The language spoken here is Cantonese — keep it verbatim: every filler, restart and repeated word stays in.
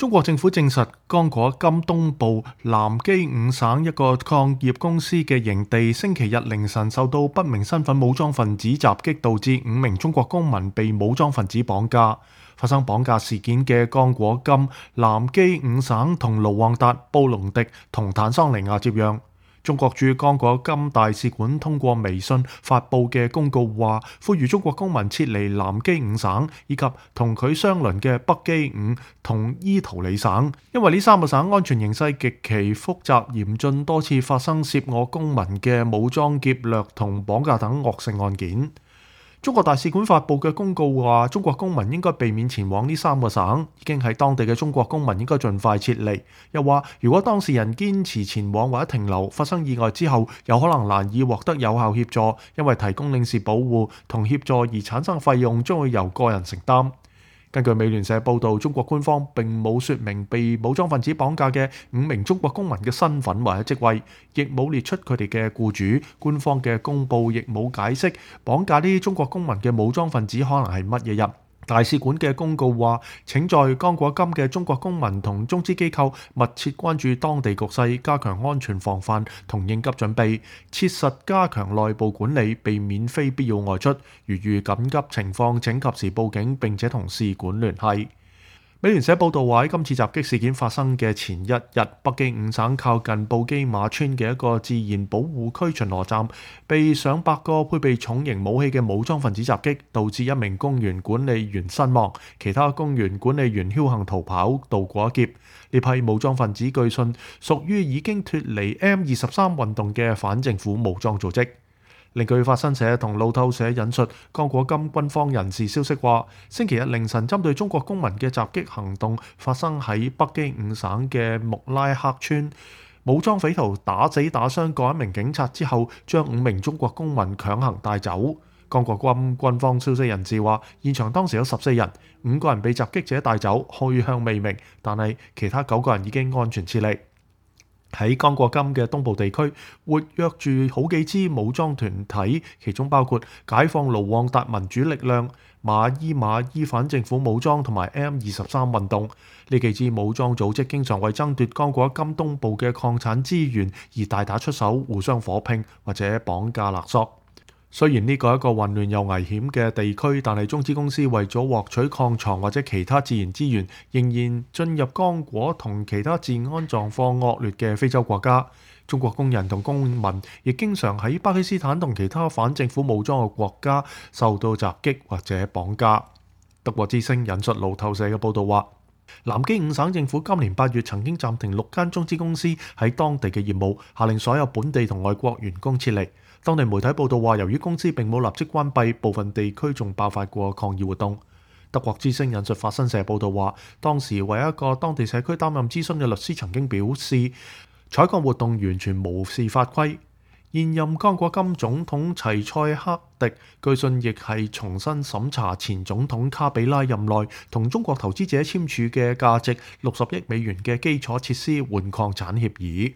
中國政府證實，剛果金東部南基五省一個礦業公司嘅營地，星期日凌晨受到不明身份武裝分子襲擊，導致五名中國公民被武裝分子綁架。發生綁架事件嘅剛果金南基五省同盧旺達、布隆迪同坦桑尼亞接壤。中國駐剛果金大使館通過微信發布嘅公告話，呼籲中國公民撤離南基五省以及同佢相鄰嘅北基五同伊圖里省，因為呢三個省安全形勢極其複雜嚴峻，多次發生涉我公民嘅武裝劫掠同綁架等惡性案件。中國大使館發布嘅公告話，中國公民應該避免前往呢三個省，已經喺當地嘅中國公民應該盡快撤離。又話，如果當事人堅持前往或者停留，發生意外之後，有可能難以獲得有效協助，因為提供領事保護同協助而產生費用將會由個人承擔。根據美聯社報導，中國官方並冇説明被武裝分子綁架嘅五名中國公民嘅身份或者職位，亦冇列出佢哋嘅僱主。官方嘅公佈亦冇解釋綁架呢啲中國公民嘅武裝分子可能係乜嘢人。大使館嘅公告話，請在剛果金嘅中國公民同中資機構密切關注當地局勢，加強安全防範同應急準備，切實加強內部管理，避免非必要外出。如遇緊急情況，請及時報警並且同使館聯繫。美聯社報道話，喺今次襲擊事件發生嘅前一日，北基五省靠近布基馬村嘅一個自然保護區巡邏站被上百個配備重型武器嘅武裝分子襲擊，導致一名公園管理員身亡，其他公園管理員僥倖逃跑，渡過一劫。呢批武裝分子據信屬於已經脫離 M 二十三運動嘅反政府武裝組織。另據法新社同路透社引述剛果金軍方人士消息話，星期日凌晨針對中國公民嘅襲擊行動發生喺北基五省嘅穆拉克村，武裝匪徒打死打傷各一名警察之後，將五名中國公民強行帶走。剛果金軍方消息人士話，現場當時有十四人，五個人被襲擊者帶走，去向未明，但係其他九個人已經安全撤離。喺剛果金嘅東部地區，活躍住好幾支武裝團體，其中包括解放盧旺達民主力量、馬伊馬伊反政府武裝同埋 M 二十三運動。呢幾支武裝組織經常為爭奪剛果金東部嘅礦產資源而大打出手，互相火拼或者綁架勒索。雖然呢個係一個混亂又危險嘅地區，但係中資公司為咗獲取礦藏或者其他自然資源，仍然進入剛果同其他治安狀況惡劣嘅非洲國家。中國工人同公民亦經常喺巴基斯坦同其他反政府武裝嘅國家受到襲擊或者綁架。德國之聲引述路透社嘅報導話，南基五省政府今年八月曾經暫停六間中資公司喺當地嘅業務，下令所有本地同外國員工撤離。當地媒體報道話，由於公司並冇立即關閉，部分地區仲爆發過抗議活動。德國之聲引述法新社報道話，當時為一個當地社區擔任諮詢嘅律師曾經表示，採礦活動完全無視法規。現任剛果金總統齊塞克迪據信亦係重新審查前總統卡比拉任內同中國投資者簽署嘅價值六十億美元嘅基礎設施換礦產協議。